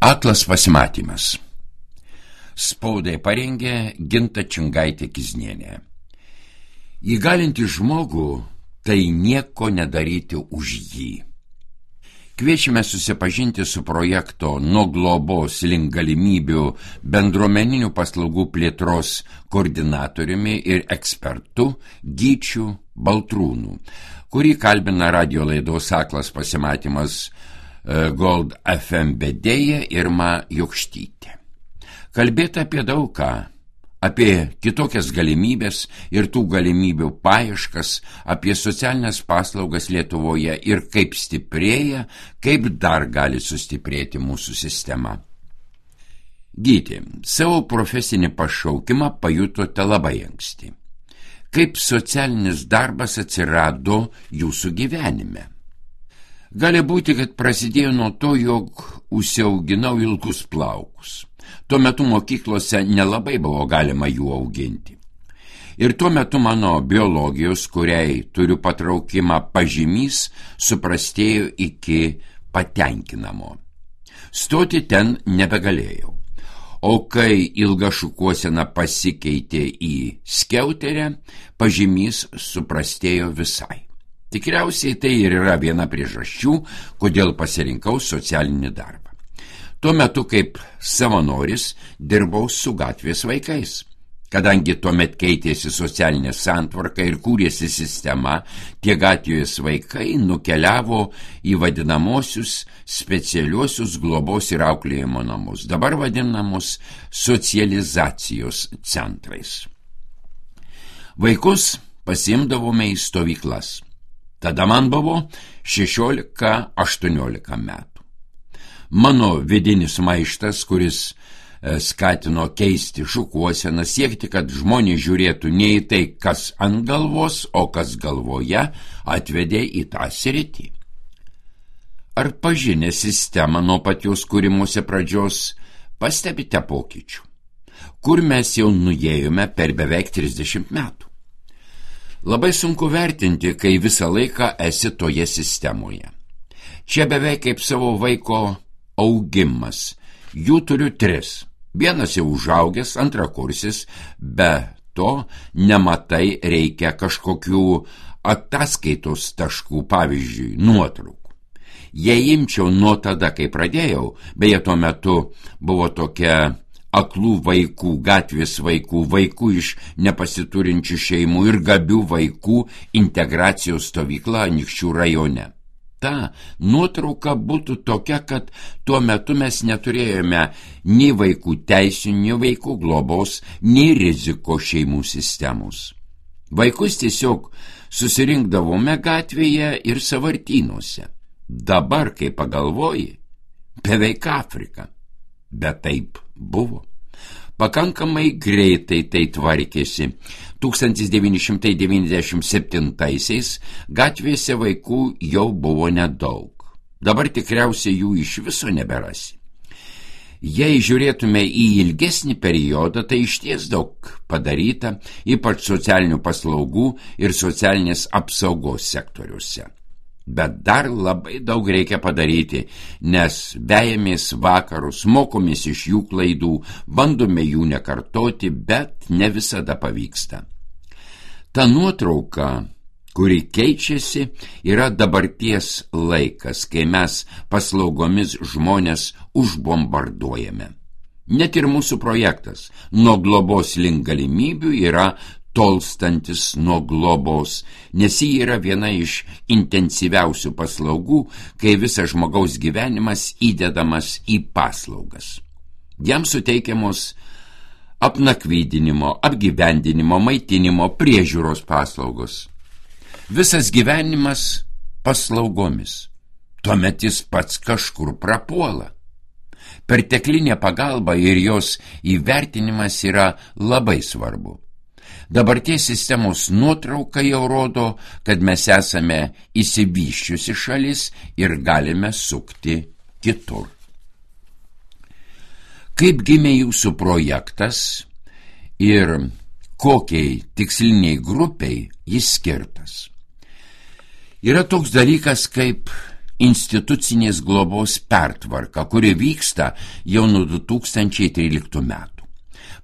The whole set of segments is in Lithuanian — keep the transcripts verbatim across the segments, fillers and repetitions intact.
Aklas pasimatymas. Spaudai parengė Ginta Čingaitė-Kiznienė. Įgalinti žmogų tai nieko nedaryti už jį. Kviečiame susipažinti su projekto Nuo globos link galimybių bendruomeninių paslaugų plėtros koordinatoriumi ir ekspertu Gyčiu Baltrūnu, kurį kalbina radio laidos Aklas pasimatymas Gold F M vedėja Irma Jokštytė. Kalbėta apie daug ką, apie kitokias galimybės ir tų galimybių paieškas, apie socialinės paslaugas Lietuvoje ir kaip stiprėja, kaip dar gali sustiprėti mūsų sistema. Gyti, savo profesinį pašaukimą pajutote labai anksti. Kaip socialinis darbas atsirado jūsų gyvenime? Gali būti, kad prasidėjo nuo to, jog užsiauginau ilgus plaukus. Tuo metu mokyklose nelabai buvo galima jų auginti. Ir tuo metu mano biologijos, kuriai turiu patraukimą pažymys, suprastėjo iki patenkinamo. Stoti ten nebegalėjau. O kai ilga šukuosena pasikeitė į skiauterę, pažymys suprastėjo visai. Tikriausiai tai ir yra viena priežasčių, kodėl pasirinkau socialinį darbą. Tuo metu kaip savanoris dirbau su gatvės vaikais. Kadangi tuomet keitėsi socialinė santvarka ir kūrėsi sistema, tie gatvės vaikai nukeliavo į vadinamosius specialiuosius globos ir auklėjimo namus, dabar vadinamus socializacijos centrais. Vaikus pasiimdavome į stovyklas. Tada man buvo šešiolika aštuoniolika metų. Mano vidinis maištas, kuris skatino keisti šukuoseną, siekti, kad žmonės žiūrėtų ne į tai, kas ant galvos, o kas galvoje, atvedė į tą sritį. Ar pažinę sistemą nuo pat jos kūrimuose pradžios pastebite pokyčių? Kur mes jau nuėjome per beveik trisdešimt metų? Labai sunku vertinti, kai visą laiką esi toje sistemoje. Čia beveik kaip savo vaiko augimas. Jų turiu tris. Vienas jau užaugęs, antrakursis, be to nematai reikia kažkokių ataskaitos taškų, pavyzdžiui, nuotraukų. Jei imčiau nuo tada, kai pradėjau, beje, tuo metu buvo tokia aklų vaikų, gatvės vaikų, vaikų iš nepasiturinčių šeimų ir gabių vaikų integracijos stovykla Anykščių rajone. Ta nuotrauka būtų tokia, kad tuo metu mes neturėjome nei vaikų teisių, nei vaikų globos, nei riziko šeimų sistemos. Vaikus tiesiog susirinkdavome gatvėje ir sąvartynuose. Dabar, kai pagalvoji, beveik Afrika. Bet taip buvo. Pakankamai greitai tai tvarkėsi. tūkstantis devyni šimtai devyniasdešimt septintaisiais gatvėse vaikų jau buvo nedaug. Dabar tikriausiai jų iš viso neberasi. Jei žiūrėtume į ilgesnį periodą, tai išties daug padaryta, ypač socialinių paslaugų ir socialinės apsaugos sektoriuose. Bet dar labai daug reikia padaryti, nes vejamės vakarus, mokomės iš jų klaidų, bandome jų nekartoti, bet ne visada pavyksta. Ta nuotrauka, kuri keičiasi, yra dabarties laikas, kai mes paslaugomis žmonės užbombarduojame. Net ir mūsų projektas Nuo globos link galimybių yra tolstantis nuo globos, nes ji yra viena iš intensyviausių paslaugų, kai visas žmogaus gyvenimas įdedamas į paslaugas. Jam suteikiamos apnakvydinimo, apgyvendinimo, maitinimo, priežiūros paslaugos. Visas gyvenimas paslaugomis. Tuomet jis pats kažkur prapuola. Perteklinė pagalba ir jos įvertinimas yra labai svarbu. Dabarties sistemos nuotrauka jau rodo, kad mes esame išsivysčiusi šalis ir galime sukti kitur. Kaip gimė jūsų projektas ir kokiai tiksliniai grupiai jis skirtas? Yra toks dalykas kaip institucinės globos pertvarka, kuri vyksta jau nuo du tūkstančiai tryliktų metų.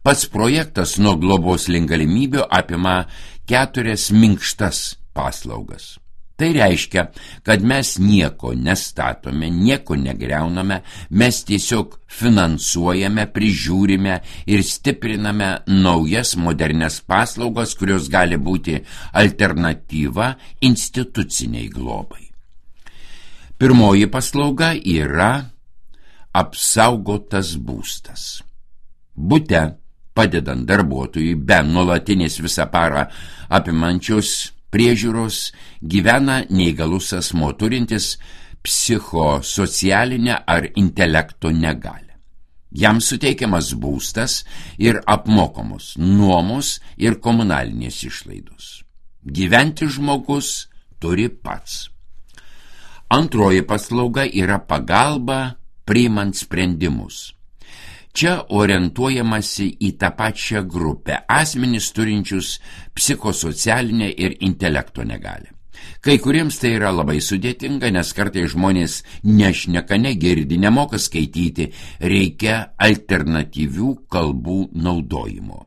Pats projektas nuo globos link galimybių apima keturias minkštas paslaugas. Tai reiškia, kad mes nieko nestatome, nieko negriauname, mes tiesiog finansuojame, prižiūrime ir stipriname naujas modernias paslaugas, kurios gali būti alternatyva instituciniai globai. Pirmoji paslauga yra apsaugotas būstas. Bute, padedant darbuotojui be nuolatinės visą parą apimančios priežiūros, gyvena neįgalus asmuo turintis psichosocialinę ar intelekto negalią. Jam suteikiamas būstas ir apmokamos nuomos ir komunalinės išlaidos. Gyventi žmogus turi pats. Antroji paslauga yra pagalba priimant sprendimus. Čia orientuojamasi į tą pačią grupę – asmenys turinčius psichosocialinę ir intelekto negalią. Kai kuriems tai yra labai sudėtinga, nes kartais žmonės nešneka, negirdi, nemoka skaityti, reikia alternatyvių kalbų naudojimo.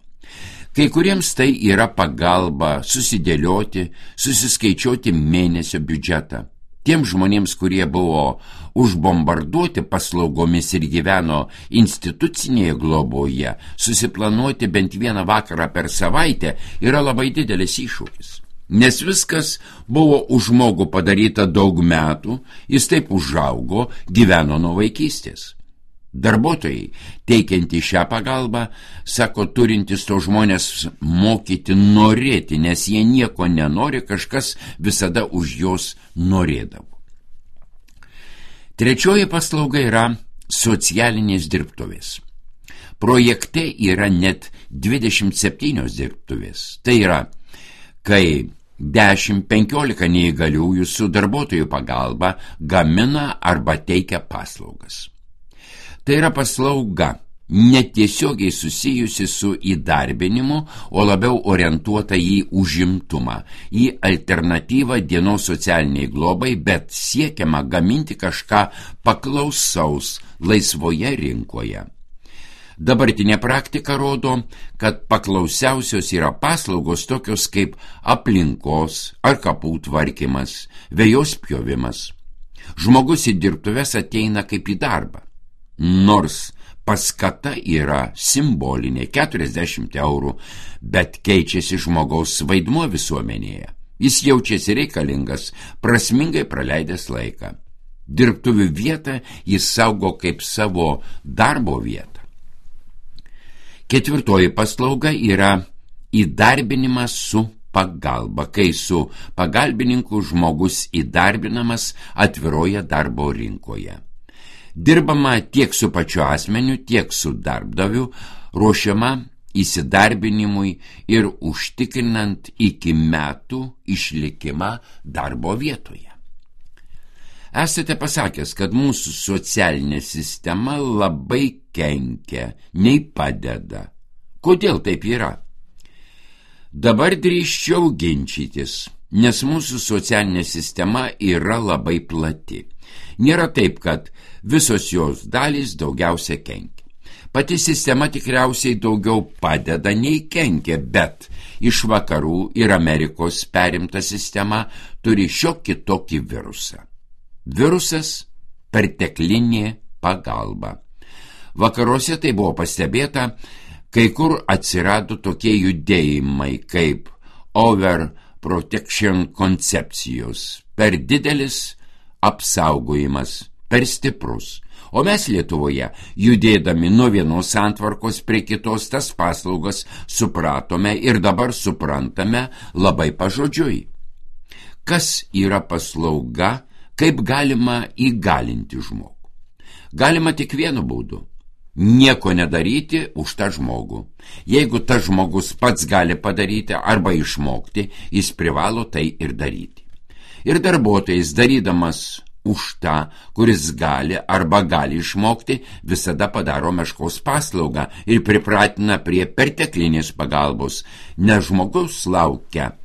Kai kuriems tai yra pagalba susidėlioti, susiskaičiuoti mėnesio biudžetą. Tiems žmonėms, kurie buvo užbombarduoti paslaugomis ir gyveno institucinėje globoje, susiplanuoti bent vieną vakarą per savaitę yra labai didelis iššūkis. Nes viskas buvo už žmogų padaryta daug metų, jis taip užaugo, gyveno nuo vaikystės. Darbuotojai, teikianti šią pagalbą, sako, turintis to žmonės mokyti norėti, nes jie nieko nenori, kažkas visada už juos norėdavo. Trečioji paslauga yra socialinės dirbtuvės. Projekte yra net dvidešimt septynios dirbtuvės. Tai yra, kai dešimt penkiolika neįgaliųjų su darbuotojų pagalba gamina arba teikia paslaugas. Tai yra paslauga netiesiogiai susijusi su įdarbinimu, o labiau orientuota į užimtumą, į alternatyvą dienos socialiniai globai, bet siekiama gaminti kažką paklausaus laisvoje rinkoje. Dabartinė praktika rodo, kad paklausiausios yra paslaugos tokios kaip aplinkos ar kapų tvarkymas, vejos pjovimas. Žmogus į dirbtuves ateina kaip į darbą. Nors paskata yra simbolinė keturiasdešimt eurų, bet keičiasi žmogaus vaidmuo visuomenėje. Jis jaučiasi reikalingas, prasmingai praleidęs laiką. Dirbtuvių vietą jis saugo kaip savo darbo vietą. Ketvirtoji paslauga yra įdarbinimas su pagalba, kai su pagalbininku žmogus įdarbinamas atviroje darbo rinkoje. Dirbama tiek su pačiu asmeniu, tiek su darbdaviu, ruošiama įsidarbinimui ir užtikrinant iki metų išlikimą darbo vietoje. Esate pasakęs, kad mūsų socialinė sistema labai kenkia, nei padeda. Kodėl taip yra? Dabar drįsčiau ginčytis, nes mūsų socialinė sistema yra labai plati. Nėra taip, kad visos jos dalys daugiausia kenkia. Pati sistema tikriausiai daugiau padeda nei kenkia, bet iš vakarų ir Amerikos perimta sistema turi šiokį tokį virusą. Virusas – perteklinė pagalba. Vakaruose tai buvo pastebėta, kai kur atsirado tokie judėjimai kaip overprotection koncepcijos, per didelis apsaugojimas, per stiprus. O mes Lietuvoje, judėdami nuo vienos santvarkos prie kitos, tas paslaugas supratome ir dabar suprantame labai pažodžiui. Kas yra paslauga, kaip galima įgalinti žmogų? Galima tik vienu būdu – nieko nedaryti už tą žmogų. Jeigu tas žmogus pats gali padaryti arba išmokti, jis privalo tai ir daryti. Ir darbuotojas, darydamas už tą, kuris gali arba gali išmokti, visada padaro meškos paslaugą ir pripratina prie perteklinės pagalbos, nes žmogus laukia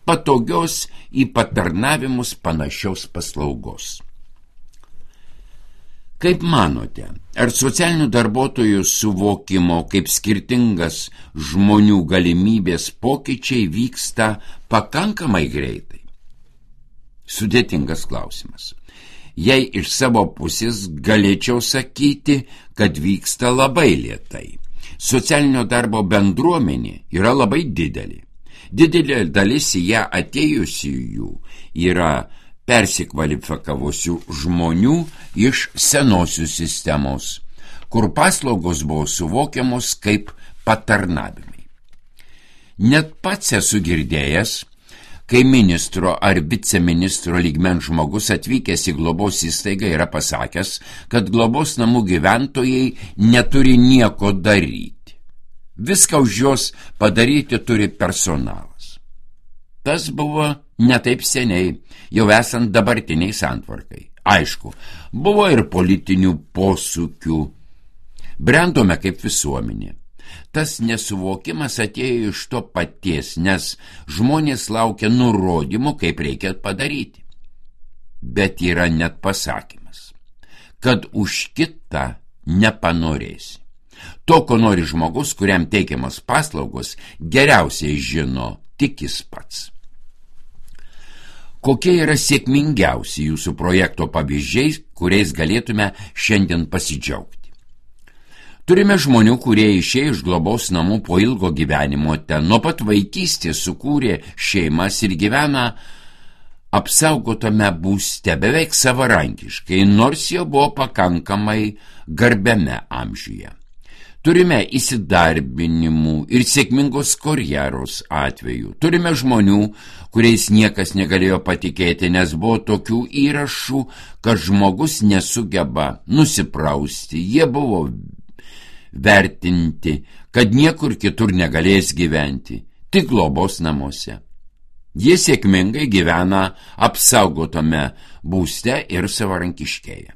patogios į patarnavimus panašios paslaugos. Kaip manote, ar socialinių darbuotojų suvokimo kaip skirtingas žmonių galimybės pokyčiai vyksta pakankamai greitai? Sudėtingas klausimas. Jei iš savo pusės galėčiau sakyti, kad vyksta labai lėtai. Socialinio darbo bendruomenė yra labai didelė. Didelė dalis į ją atėjusiųjų yra persikvalifikavusių žmonių iš senosios sistemos, kur paslaugos buvo suvokiamos kaip patarnavimai. Net pats esu girdėjęs, kai ministro ar viceministro lygmens žmogus atvykęs į globos įstaigą yra pasakęs, kad globos namų gyventojai neturi nieko daryti. Viską už juos padaryti turi personalas. Tas buvo ne taip seniai, jau esant dabartiniai santvarkai. Aišku, buvo ir politinių posūkių. Brendome kaip visuomenė. Tas nesuvokimas atėjo iš to paties, nes žmonės laukia nurodymų, kaip reikia padaryti. Bet yra net pasakymas, kad už kitą nepanorėsi. To, ko nori žmogus, kuriam teikiamas paslaugos, geriausiai žino tik jis pats. Kokie yra sėkmingiausi jūsų projekto pavyzdžiai, kuriais galėtume šiandien pasidžiaugti? Turime žmonių, kurie išėjo iš globos namų po ilgo gyvenimo ten, nuo pat vaikystės sukūrė šeimas ir gyvena apsaugotame būste beveik savarankiškai, nors jau buvo pakankamai garbiame amžiuje. Turime įsidarbinimų ir sėkmingos karjeros atvejų. Turime žmonių, kuriais niekas negalėjo patikėti, nes buvo tokių įrašų, kad žmogus nesugeba nusiprausti. Jie buvo vertinti, kad niekur kitur negalės gyventi, tik globos namuose. Jie sėkmingai gyvena apsaugotame būste ir savarankiškėja.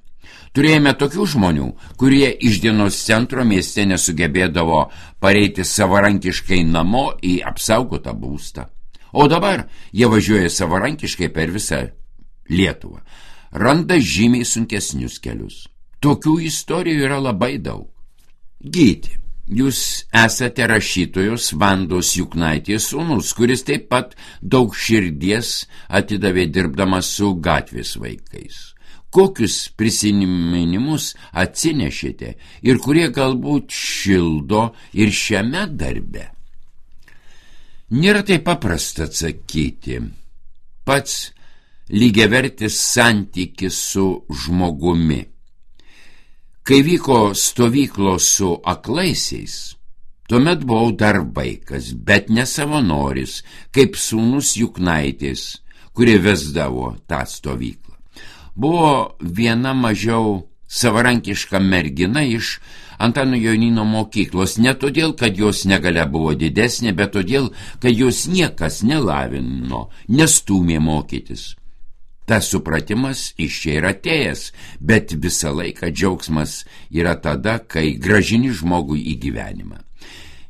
Turėjome tokių žmonių, kurie iš dienos centro mieste nesugebėdavo pareiti savarankiškai namo į apsaugotą būstą. O dabar jie važiuoja savarankiškai per visą Lietuvą. Randa žymiai sunkesnius kelius. Tokių istorijų yra labai daug. Gyti, jūs esate rašytojos Vandos Juknaitės sūnus, kuris taip pat daug širdies atidavė dirbdamas su gatvės vaikais. Kokius prisiminimus atsinešėte ir kurie galbūt šildo ir šiame darbe? Nėra taip paprasta atsakyti. Pats lygiavertis santykis su žmogumi. Kai vyko stovyklos su aklaisiais, tuomet buvau dar vaikas, bet ne savanoris, kaip sūnus Juknaitės, kurie vesdavo tą stovyklą. Buvo viena mažiau savarankiška mergina iš Antano Jonyno mokyklos, ne todėl, kad jos negalia buvo didesnė, bet todėl, kad jos niekas nelavino, nestūmė mokytis. Tas supratimas iš čia yra atėjęs, bet visą laiką džiaugsmas yra tada, kai grąžini žmogų į gyvenimą.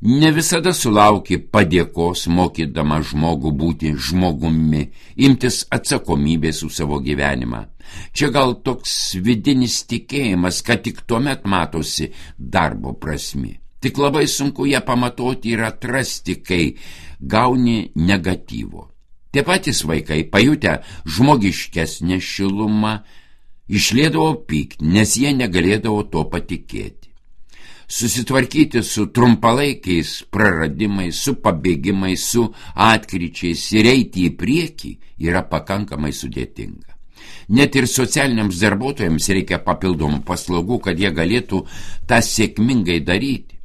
Ne visada sulauki padėkos, mokydama žmogų būti žmogumi, imtis atsakomybės už savo gyvenimą. Čia gal toks vidinis tikėjimas, kad tik tuomet matosi darbo prasmė. Tik labai sunku ją pamatuoti ir atrasti, kai gauni negatyvo. Tie patys vaikai, pajutę žmogiškesnę šilumą, išliedavo pyktį, nes jie negalėdavo to patikėti. Susitvarkyti su trumpalaikiais praradimais, su pabėgimais, su atkryčiais ir eiti į priekį yra pakankamai sudėtinga. Net ir socialiniams darbuotojams reikia papildomų paslaugų, kad jie galėtų tą sėkmingai daryti.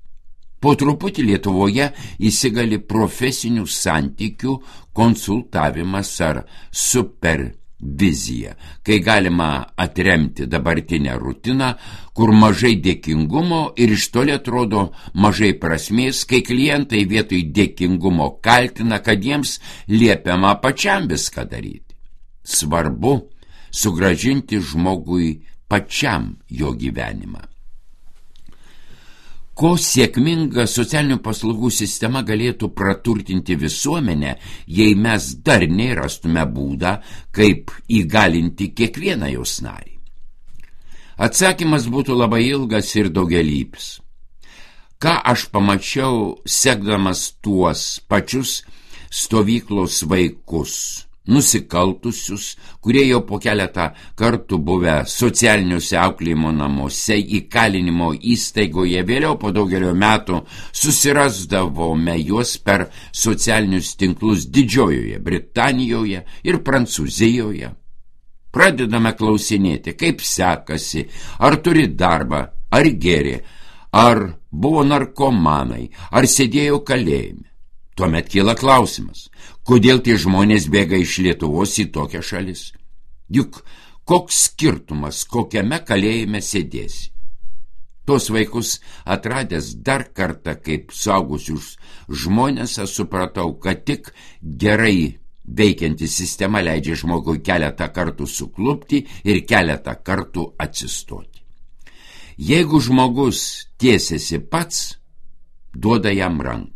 Po truputį Lietuvoje įsigali profesinių santykių konsultavimas ar supervizija, kai galima atremti dabartinę rutiną, kur mažai dėkingumo ir iš toli atrodo mažai prasmės, kai klientai vietoj dėkingumo kaltina, kad jiems liepiama pačiam viską daryti. Svarbu sugrąžinti žmogui pačiam jo gyvenimą. Ko sėkminga socialinių paslaugų sistema galėtų praturtinti visuomenę, jei mes dar nerastume būdą, kaip įgalinti kiekvieną jos narį? Atsakymas būtų labai ilgas ir daugialypis. Ką aš pamačiau, sekdamas tuos pačius stovyklos vaikus, nusikaltusius, kurie jau po keletą kartų buvę socialiniuose auklėjimo namuose, įkalinimo įstaigoje, vėliau po daugelio metų susirasdavome juos per socialinius tinklus Didžiojoje Britanijoje ir Prancūzijoje. Pradedame klausinėti, kaip sekasi, ar turi darbą, ar gėrė, ar buvo narkomanai, ar sėdėjo kalėjime. Tuomet kyla klausimas, kodėl tie žmonės bėga iš Lietuvos į tokią šalis? Juk koks skirtumas, kokiame kalėjime sėdėsi? Tos vaikus atradęs dar kartą kaip suaugusius žmonės, aš supratau, kad tik gerai veikianti sistema leidžia žmogui keletą kartų suklupti ir keletą kartų atsistoti. Jeigu žmogus tiesiasi pats, duoda jam ranką.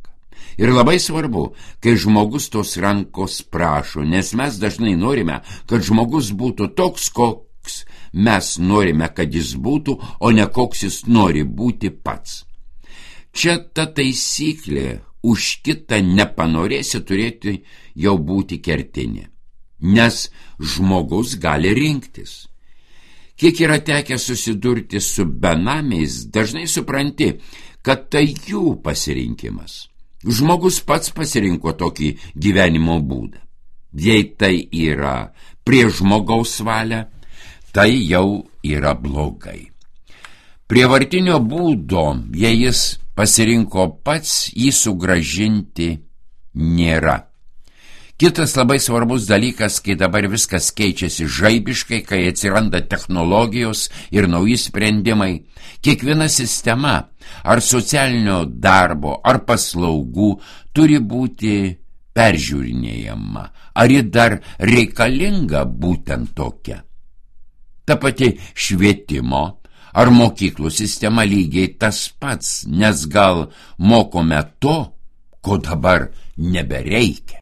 Ir labai svarbu, kai žmogus tos rankos prašo, nes mes dažnai norime, kad žmogus būtų toks, koks mes norime, kad jis būtų, o ne koks jis nori būti pats. Čia ta taisyklė, už kitą nepanorėsi turėti jau būti kertinė, nes žmogus gali rinktis. Kiek yra tekę susidurti su benamiais, dažnai supranti, kad tai jų pasirinkimas. Žmogus pats pasirinko tokį gyvenimo būdą. Jei tai yra prie žmogaus valia, tai jau yra blogai. Prievartinio būdo, jei jis pasirinko pats, jį sugrąžinti nėra. Kitas labai svarbus dalykas, kai dabar viskas keičiasi žaibiškai, kai atsiranda technologijos ir nauji sprendimai, kiekviena sistema, ar socialinio darbo, ar paslaugų, turi būti peržiūrinėjama, ar ji dar reikalinga būtent tokia. Ta pati švietimo ar mokyklų sistema lygiai tas pats, nes gal mokome to, ko dabar nebereikia.